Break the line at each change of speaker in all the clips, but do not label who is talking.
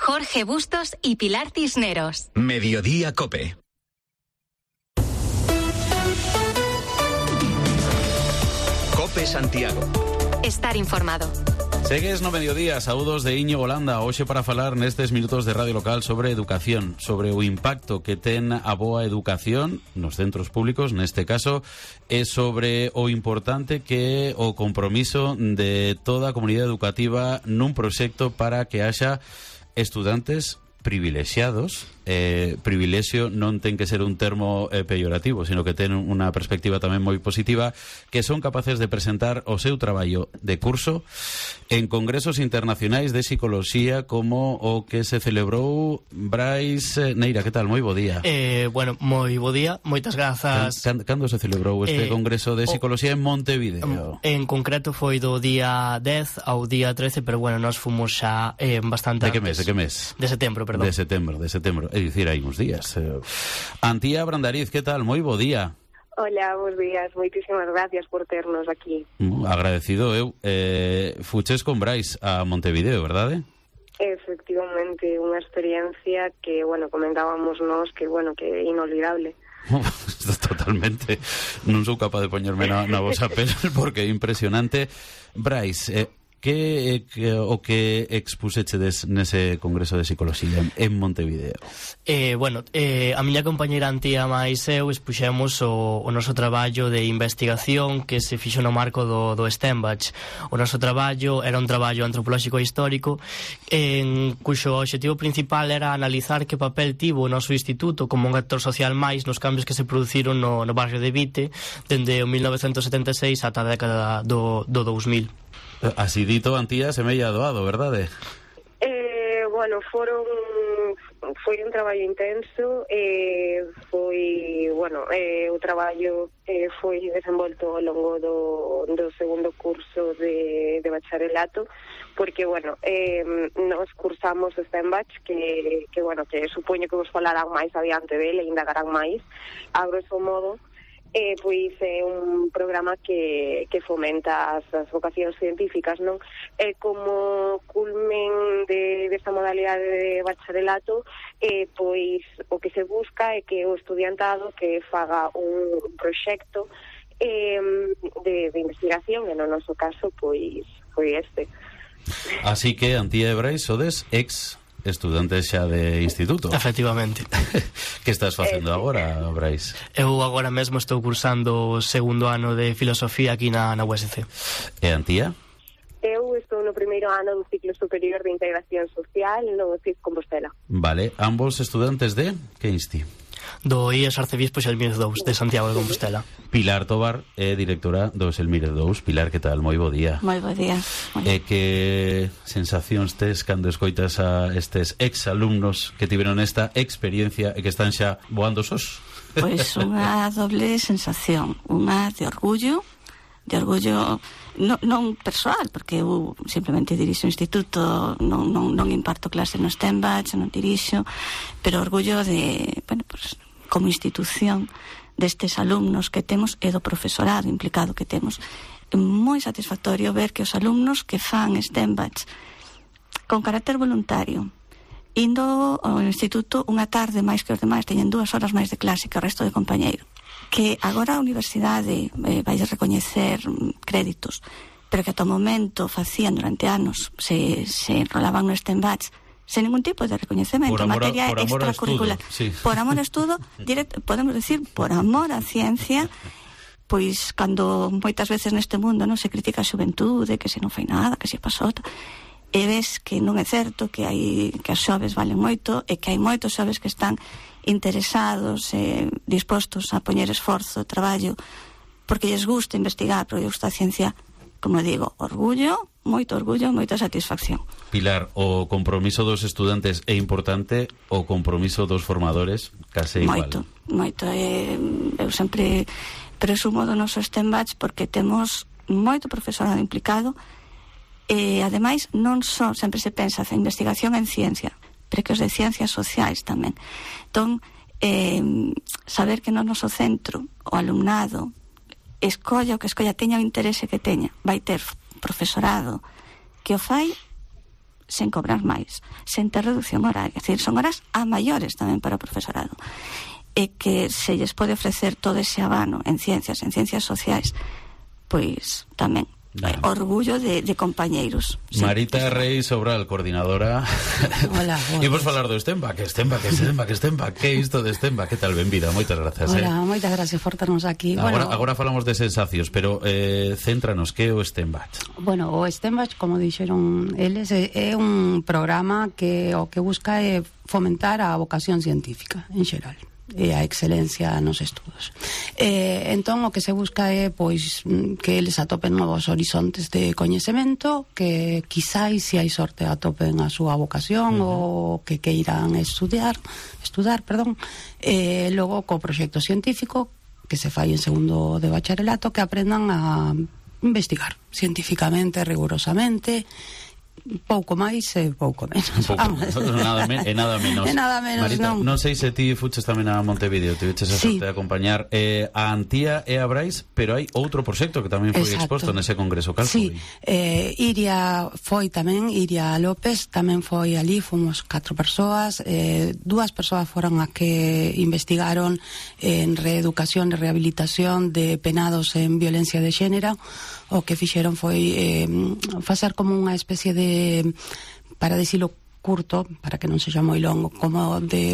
Jorge Bustos y Pilar Cisneros.
Mediodía COPE. COPE Santiago.
Estar informado.
Segues no mediodía, saúdos de Íñigo Holanda. Hoxe para falar nestes minutos de radio local sobre educación, sobre o impacto que ten a boa educación nos centros públicos, neste caso, e sobre o importante que o compromiso de toda a comunidade educativa nun proxecto para que haxa estudantes privilexiados. Privilexio non ten que ser un termo peyorativo, sino que ten unha perspectiva tamén moi positiva, que son capaces de presentar o seu traballo de curso en congresos internacionais de psicoloxía como o que se celebrou. Brais Neira, que tal? Moi bo día.
Bueno, moi bo día, moitas grazas.
Cando se celebrou este congreso de psicoloxía en Montevideo?
En concreto foi do día 10 ao día 13, pero bueno, nós fomos xa bastante antes.
De que mes?
De setembro, perdón.
De setembro. É dicir, hai uns días. Antía Brandariz, que tal? Moi bo día.
Hola, bons días. Moitísimas gracias por ternos aquí.
Agradecido eu. Fuches con Brais a Montevideo, verdade?
Efectivamente, unha experiencia que, bueno, comentábamos nós que, bueno, que é inolvidable.
Totalmente. Non sou capaz de poñerme na vosa pel porque é impresionante. Brais, o que expusechedes nese congreso de psicoloxía en Montevideo?
Bueno, a miña compañeira Antía máis eu expuxemos o noso traballo de investigación que se fixo no marco do STEM-Batch. O noso traballo era un traballo antropolóxico e histórico en cuxo objetivo principal era analizar que papel tivo o noso instituto como un actor social máis nos cambios que se produciron no barrio de Vite dende o 1976 ata a década do 2000.
Así dito, Antía, semella doado, verdade?
Bueno, foi un traballo intenso, o traballo foi desenvolto ao longo do segundo curso de bacharelato, porque, bueno, nos cursamos STEM-Batch, que supoño que vos falarán máis adiante dele e indagarán máis, a grosso modo. Pois é un programa que fomenta as vocacións científicas, non? Como culmen desta modalidade de bacharelato, pois o que se busca é que o estudiantado que faga un proxecto de investigación, e no noso caso, pois foi este.
Así que, Antía e Brais, sodes estudantes xa de instituto.
Efectivamente.
Que estás facendo agora, Brais?
Eu agora mesmo estou cursando o segundo ano de filosofía aquí na USC.
E Antía?
Eu estou no primeiro ano do ciclo superior de integración social no CIF Compostela.
Vale, ambos estudantes de que insti?
Do IES Arcebispo Xelmírez II de Santiago de Compostela.
Pilar Tobar é directora do Xelmírez II. Pilar, que tal? Moi bo día.
Moi bo día.
Que sensacións tes cando escoitas a estes exalumnos que tiveron esta experiencia e que están xa voando sos?
Pois unha doble sensación, unha de orgullo non persoal, porque eu simplemente dirixo o instituto, non imparto clase no STEM-Batch, non dirixo, pero orgullo de, bueno, pues, como institución destes alumnos que temos e do profesorado implicado que temos. É moi satisfactorio ver que os alumnos que fan STEM-Batch con carácter voluntario, indo ao instituto unha tarde máis que os demais, teñen 2 horas máis de clase que o resto de compañeiro, que agora a universidade vai recoñecer créditos, pero que ata o momento facían durante anos, se enrolaban no STEM-Batch sen ningún tipo de recoñecemento, materia extracurricular, sí. Por amor a estudo, podemos decir, por amor a ciencia. Pois cando moitas veces neste mundo non se critica a xuventude, que se non fai nada, que se pasou, e ves que non é certo, que as xoves valen moito e que hai moitos xoves que están interesados e dispostos a poñer esforzo, traballo, porque lles gusta investigar, porque lles gusta a ciencia. Como digo, orgullo, moita satisfacción.
Pilar, o compromiso dos estudantes é importante, o compromiso dos formadores case igual.
Moito. Eu sempre presumo do noso STEM-Batch porque temos moito profesorado implicado e, ademais, non só sempre se pensa en investigación en ciencia, pero que os de ciencias sociais tamén. Entón, saber que no noso centro o alumnado escolla o que escolla, teña o interese que teña, vai ter profesorado que o fai sen cobrar máis, sen ter reducción horaria, é dicir, son horas a maiores tamén para o profesorado, e que se lles pode ofrecer todo ese abano en ciencias sociais, pois tamén orgullo de compañeiros.
Marita Reis Sobral, coordinadora.
Hola,
Imos falar do Stemba, que é isto de Stemba? Que tal, benvida, moitas grazas.
Hola, moitas gracias por ternos aquí.
Agora falamos de sensacións, pero céntranos, que é o Stemba?
Bueno, o Stemba, como dixeron eles, é un programa que o que busca é fomentar a vocación científica en xeral e a excelencia nos estudos. Entón o que se busca é pois que eles atopen novos horizontes de coñecemento, que quizáis, se hai sorte, atopen a súa vocación ou que queiran estudar, logo co proxecto científico que se fai en segundo de bacharelato, que aprendan a investigar científicamente, rigurosamente, pouco máis e pouco menos.
Nada menos. Marita, non sei se ti fuches tamén a Montevideo, te viches a sorte de acompañar a Antía e a Brais, pero hai outro proxecto que tamén foi exposto nese congreso. Cal foi?
Iria López tamén foi ali, fomos 4 persoas, 2 persoas foron as que investigaron en reeducación e rehabilitación de penados en violencia de xénero. O que fixeron foi facer como unha especie de, para decirlo curto, para que non sexa moi longo, como de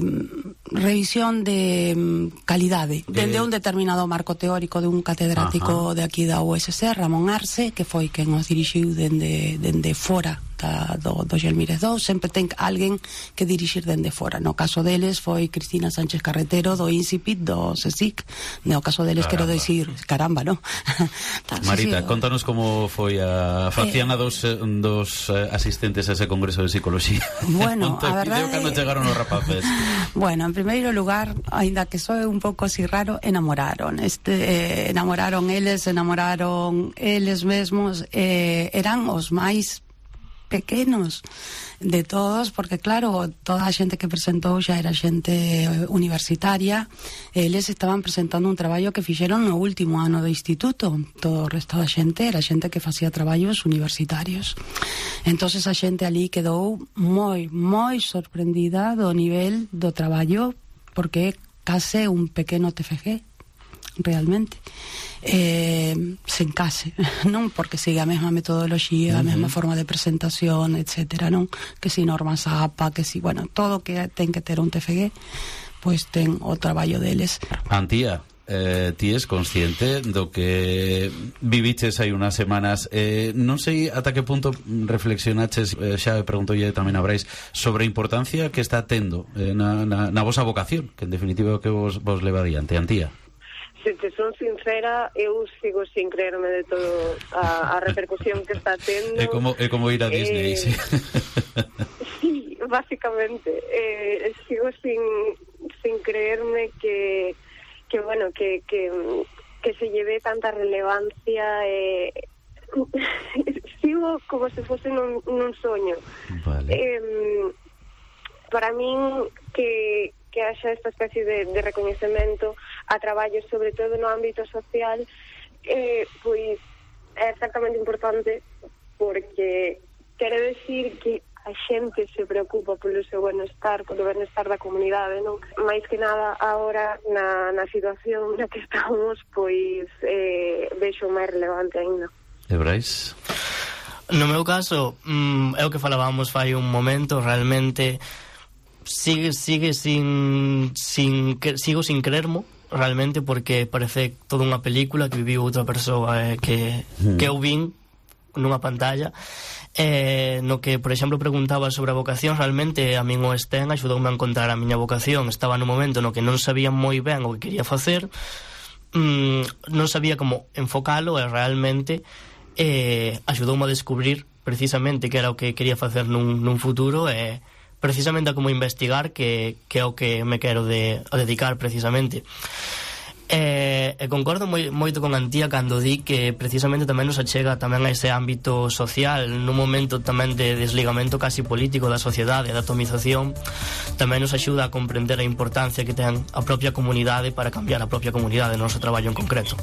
revisión de calidade dende un determinado marco teórico de un catedrático de aquí da USC, Ramón Arce, que foi quen os dirixiu dende fora do Gelmírez 2. Sempre ten alguén que dirixir dende fora. No caso deles foi Cristina Sánchez Carretero do INSIPIT, do CSIC. No caso deles quero dicir, caramba, ¿no?
Marita, contanos como foi a facían a dos asistentes a ese congreso de psicología.
Bueno, a verdade,
cando chegaron os rapaces.
Bueno, en primeiro lugar, aínda que soe un pouco así raro, enamoraron eles mesmos, eran os máis pequenos de todos, porque claro, toda a xente que presentou xa era xente universitaria. Eles estaban presentando un traballo que fixeron no último ano do instituto. Todo o resto da xente era xente que facía traballos universitarios. Entonces a xente ali quedou moi sorprendida do nivel do traballo, porque é case un pequeno TFG realmente, sen case, non? Porque sigue a mesma metodoloxía, a mesma forma de presentación, etcétera, non? Que si normas APA, que si, bueno, todo que ten que ter un TFG, pois ten o traballo deles.
Antía, ti es consciente do que viviches hai unas semanas, non sei ata que punto reflexionaches, xa preguntolle tamén a Brais, sobre a importancia que está tendo na vosa vocación, que en definitiva é o que vos leva adiante. Antía?
Se te son sincera, eu sigo sin creerme de todo a repercusión que está tendo.
É como ir a Disney, sí.
Sí, básicamente. Sigo sin creerme que bueno, que se lleve tanta relevancia. Sigo como se fose nun soño. Vale. Para min que haxa esta especie de recoñecemento a traballos, sobre todo no ámbito social, pois é exactamente importante, porque quere decir que a xente se preocupa polo seu benestar, polo benestar da comunidade, non? Mais que nada, agora, na situación na que estamos, pois vexo máis relevante ainda.
E Brais?
No meu caso, é o que falábamos fai un momento, realmente sigo sin creermo realmente, porque parece toda unha película que viviu outra persoa que eu vin nunha pantalla, no que, por exemplo, preguntaba sobre a vocación. Realmente a min o STEM axudoume a encontrar a miña vocación. Estaba no momento no que non sabía moi ben o que quería facer, non sabía como enfocalo, e realmente axudoume a descubrir precisamente que era o que quería facer nun futuro, e precisamente a como investigar, que é o que me quero dedicar precisamente. E concordo moito con Antía cando di que precisamente tamén nos achega tamén a ese ámbito social, nun momento tamén de desligamento casi político da sociedade, da atomización. Tamén nos axuda a comprender a importancia que ten a propia comunidade para cambiar a propia comunidade no noso traballo en concreto.